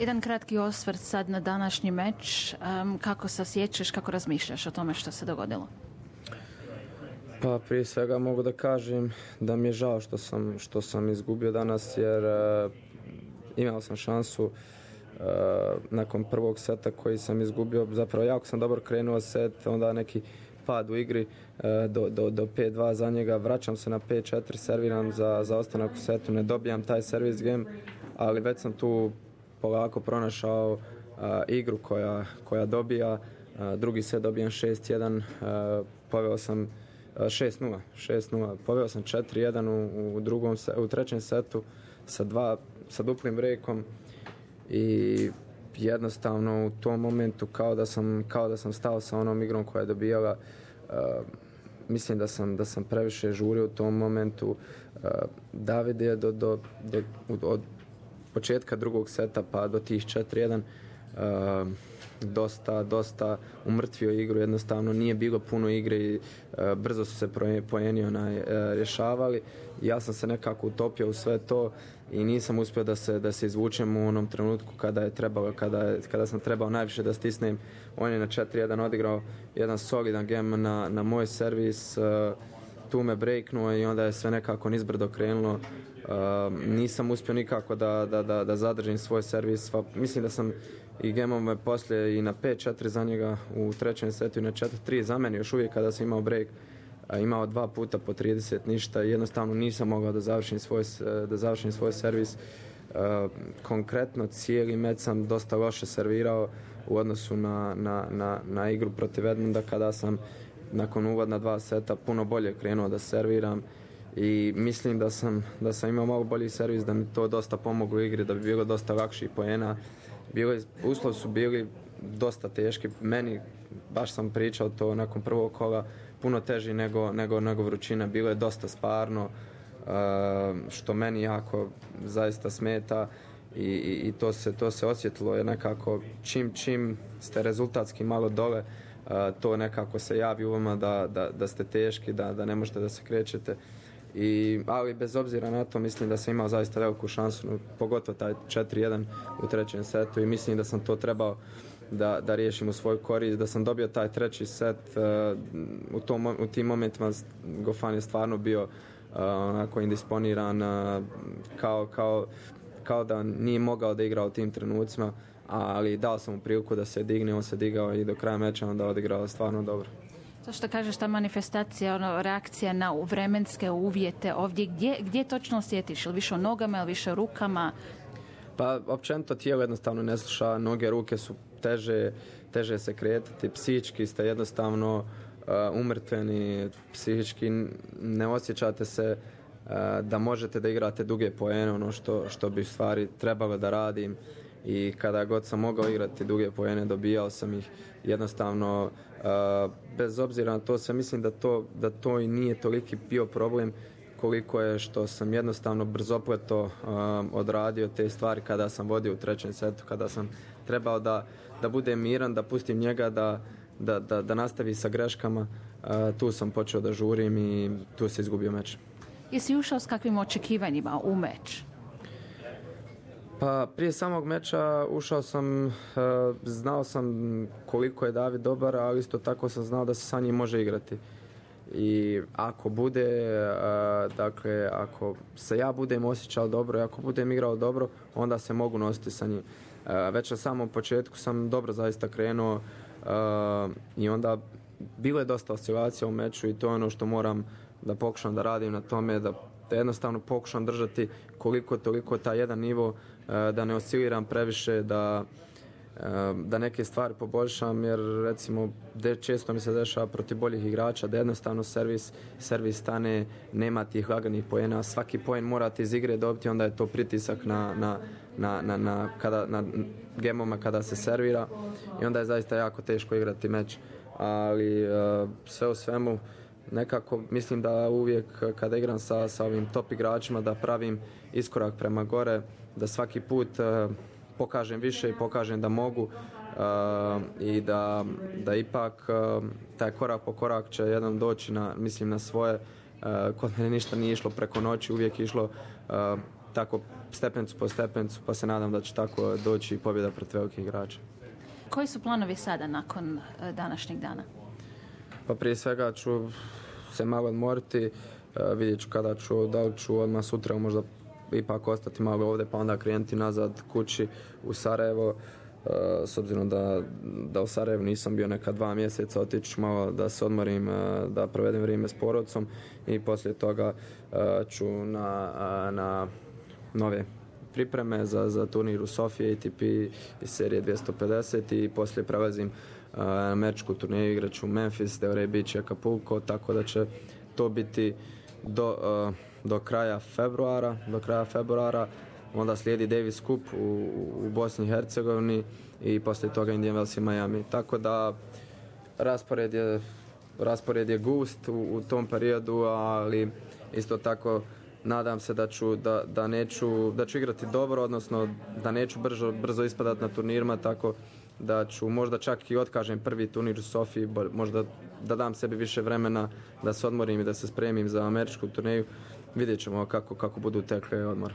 Jedan kratki osvrt sad na današnji meč. Kako se osjećaš, kako razmišljaš o tome što se dogodilo? Pa prije svega mogu da kažem da mi je žao što sam izgubio danas, jer imao sam šansu nakon prvog seta koji sam izgubio. Zapravo jako sam dobro krenuo set, onda neki pad u igri do 5-2 za njega, vraćam se na 5-4, serviram za ostanak u setu, ne dobijam taj service game, ali već sam tu polako pronašao igru koja dobija. Drugi set dobijam 6-1, poveo sam 6-0, poveo sam 4-1 u trećem setu sa duplim breakom i jednostavno u tom momentu kao da sam stao sa onom igrom koja je dobijala. Mislim da sam previše žurio u tom momentu. David je od početka drugog seta pa do tih 4-1 dosta umrtvio igru, jednostavno nije bilo puno igre i brzo su se poeni rješavali. Ja sam se nekako utopio u sve to i nisam uspio da se izvučem u onom trenutku kada je trebalo, kada sam trebao najviše da stisnem. On je na 4-1 odigrao jedan solidan game na moj servis, tu me breaknuo i onda je sve nekako nizbrdo krenulo. Nisam uspio nikako da zadržim svoj servis. Mislim da sam i gemove poslije i na 5-4 za njega u trećem setu i na 4-3 za mene još uvijek kada sam imao break, imao 2 puta po 30 ništa i jednostavno nisam mogao da završim svoj servis. Konkretno cijeli meč sam dosta loše servirao u odnosu na igru protiv Edmunda, kada sam nakon uvodna 2 seta puno bolje krenuo da serviram i mislim da sam imao malo bolji servis, da mi to dosta pomoglo u igri, da bi bilo dosta lakših poena. Uslovi su bili dosta teški, meni, baš sam pričao to nakon prvog kola, puno teži nego vrućina, bilo je dosta sparno, što meni jako zaista smeta i to se osjetilo, jer nekako čim ste rezultatski malo dole, to nekako se javi u vama da ste teški, da ne možete da se krećete. Ali bez obzira na to mislim da sam imao zaista veliku šansu, pogotovo taj 4-1 u trećem setu i mislim da sam to trebao da riješim u svoj korist, da sam dobio taj treći set. U tim momentima Goffin je stvarno bio onako indisponiran, kao da nije mogao da igra u tim trenucima, ali dao sam mu priliku da se digne, on se digao i do kraja meča onda odigrao stvarno dobro. To što kažeš, ta manifestacija, reakcija na vremenske uvjete ovdje, gdje točno osjetiš? Ili više o nogama, ili više o rukama? Pa općenito tijelo jednostavno ne sluša, noge, ruke su teže se kretati, psihički ste jednostavno umrtveni, psihički ne osjećate se da možete da igrate duge poene, ono što bi u stvari trebalo da radim. I kada god sam mogao igrati duge poene, dobijao sam ih jednostavno, bez obzira na to sve, mislim da to i nije toliki bio problem koliko je što sam jednostavno brzopleto odradio te stvari kada sam vodio u trećem setu, kada sam trebao da budem miran, da pustim njega da nastavi sa greškama, tu sam počeo da žurim i tu se izgubio meč. Jesi ušao s kakvim očekivanjima u meč? Pa prije samog meča ušao sam, znao sam koliko je David dobar, ali isto tako sam znao da se sa njim može igrati. I ako bude, dakle, ako se ja budem osjećao dobro i ako budem igrao dobro, onda se mogu nositi sa njim. Već na samom početku sam dobro zaista krenuo i onda bilo je dosta oscilacija u meču i to je ono što moram da pokušam da radim na tome, da jednostavno pokušam držati koliko toliko taj jedan nivo, da ne osciliram previše, da neke stvari poboljšam, jer recimo često mi se dešava protiv boljih igrača da jednostavno servis stane, nema tih laganih poena, svaki poen morate iz igre dobiti, onda je to pritisak na gemoma kada se servira i onda je zaista jako teško igrati meč, ali sve u svemu nekako mislim da uvijek kada igram sa ovim top igračima da pravim iskorak prema gore, da svaki put pokažem više i pokažem da mogu i da ipak taj korak po korak će jedan doći na svoje. Kod mene ništa nije išlo preko noći, uvijek išlo tako stepencu po stepencu, pa se nadam da će tako doći i pobjeda protiv velikih igrača. Koji su planovi sada nakon današnjeg dana? Pa prije svega ću se malo odmoriti, vidjet ću kada ću, da li ću odmah sutra možda ipak ostati malo ovdje pa onda krenuti nazad kući u Sarajevo, s obzirom da u Sarajevu nisam bio neka 2 mjeseca, otići malo da se odmorim, da provedem vrijeme s porodicom i poslije toga ću na nove pripreme za turnir u Sofiji ATP iz serije 250 i poslije prelazim na američku turneju, igraću u Memphis, Delray Beach i Acapulco, tako da će to biti do kraja februara, onda slijedi Davis Cup u Bosni i Hercegovini i poslije toga Indian Wells i Miami. Tako da raspored je gust u tom periodu, ali isto tako nadam se da ću igrati dobro, odnosno da neću brzo ispadati na turnirima, tako da ću možda čak i otkažem prvi turnir u Sofiji, možda da dam sebi više vremena da se odmorim i da se spremim za američku turneju. Vidjet ćemo kako budu tekle odmor.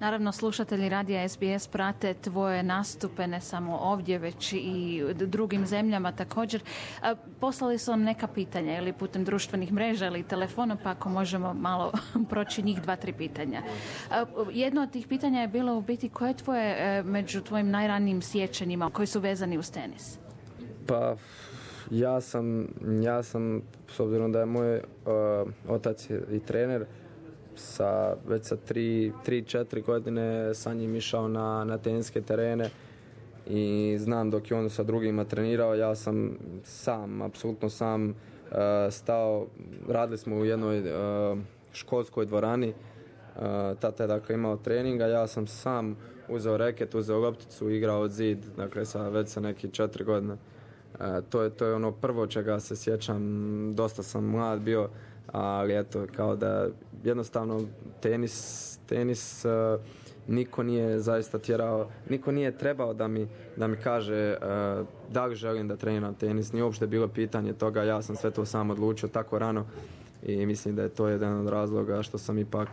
Naravno, slušatelji radija SBS prate tvoje nastupe ne samo ovdje, već i u drugim zemljama također. Poslali su vam neka pitanja ili putem društvenih mreža ili telefona, pa ako možemo malo proći njih 2-3 pitanja. Jedno od tih pitanja je bilo u biti koje je tvoje među tvojim najranijim sjećanjima koji su vezani uz tenis? Pa ja sam s obzirom da je moj otac i trener, već sa 3-4 godine sa njim išao na teniske terene i znam dok je on sa drugima trenirao, ja sam apsolutno sam stao, radili smo u jednoj školskoj dvorani, tata je dakle imao treninga, ja sam sam uzeo reket, uzeo lopticu, igrao od zid, dakle već sa nekih 4 godine. To je ono prvo čega se sjećam, dosta sam mlad bio, ali eto, kao da jednostavno tenis niko nije zaista tjerao, niko nije trebao da mi kaže da li želim da treniram tenis, nije uopšte bilo pitanje toga, ja sam sve to sam odlučio tako rano i mislim da je to jedan od razloga što sam ipak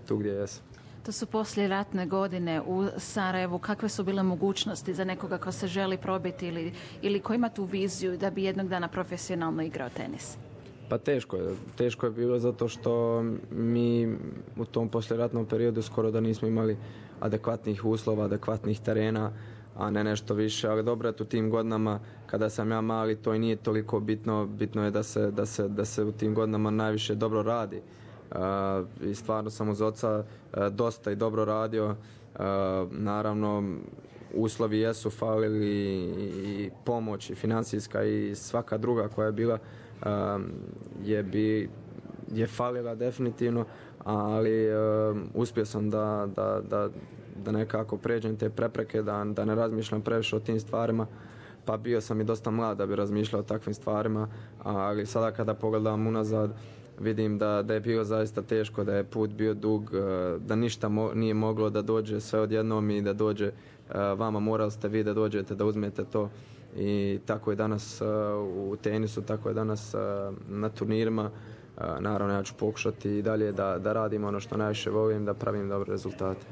tu gdje jesam. To su poslijeratne godine u Sarajevu. Kakve su bile mogućnosti za nekoga ko se želi probiti ili ko ima tu viziju da bi jednog dana profesionalno igrao tenis? Pa teško je bilo zato što mi u tom poslijeratnom periodu skoro da nismo imali adekvatnih uslova, adekvatnih terena, a ne nešto više, ali dobro je u tim godinama kada sam ja mali to i nije toliko bitno, bitno je da se u tim godinama najviše dobro radi. I stvarno sam uz oca dosta i dobro radio, naravno uslovi jesu falili i pomoć i financijska i svaka druga koja je bila je falila definitivno, ali uspio sam da nekako pređem te prepreke, da ne razmišljam previše o tim stvarima, pa bio sam i dosta mlad da bi razmišljao o takvim stvarima, ali sada kada pogledam unazad vidim da je bilo zaista teško, da je put bio dug, da ništa nije moglo da dođe sve odjednom i da dođe vama, morali ste vi da dođete, da uzmete to. I tako je danas u tenisu, tako je danas na turnirima. Naravno, ja ću pokušati i dalje da radim ono što najviše volim, da pravim dobre rezultate.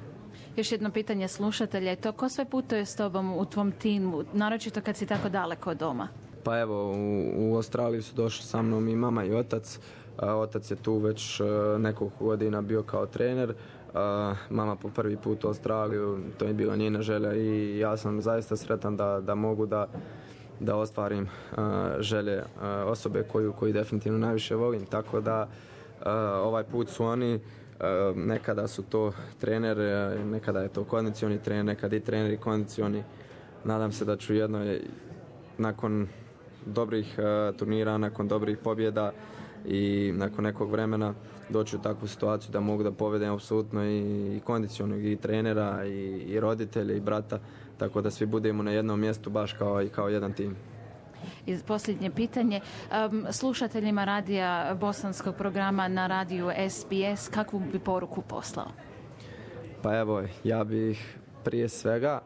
Još jedno pitanje slušatelja je to, ko sve putuje s tobom u tvom timu, naročito kad si tako daleko od doma? Pa evo, u Australiju su došli sa mnom i mama i otac. Otac je tu već nekoliko godina bio kao trener. Mama po prvi put u Australiju, to je bila njena želja i ja sam zaista sretan da mogu da ostvarim želje osobe koju definitivno najviše volim. Tako da ovaj put su oni, nekada su to trener, nekada je to kondicioni trener, nekada i trener i kondicioni. Nadam se da ću jednoj nakon dobrih turnira, nakon dobrih pobjeda i nakon nekog vremena doći u takvu situaciju da mogu da povedem apsolutno i kondicionog i trenera i roditelja i brata, tako da svi budemo na jednom mjestu baš kao jedan tim. I posljednje pitanje, slušateljima radija bosanskog programa na radiju SBS, kakvu bi poruku poslao? Pa evo, ja bih prije svega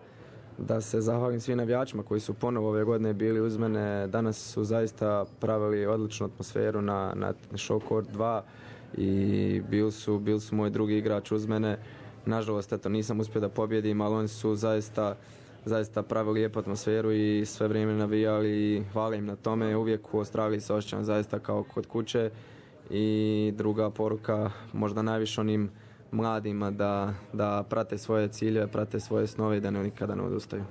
da se zahvalim svim navijačima koji su ponovo ove godine bili uz mene. Danas su zaista pravili odličnu atmosferu na Show Court 2 i bili su moj drugi igrač uz mene nažalost, eto, nisam uspio da pobjedim, ali oni su zaista pravili lijepu atmosferu i sve vrijeme navijali i hvala im na tome. Uvijek u Australiji se osjećam zaista kao kod kuće. I druga poruka, možda najviše onim mladima da prate svoje ciljeve, prate svoje snove i da nikada ne odustaju.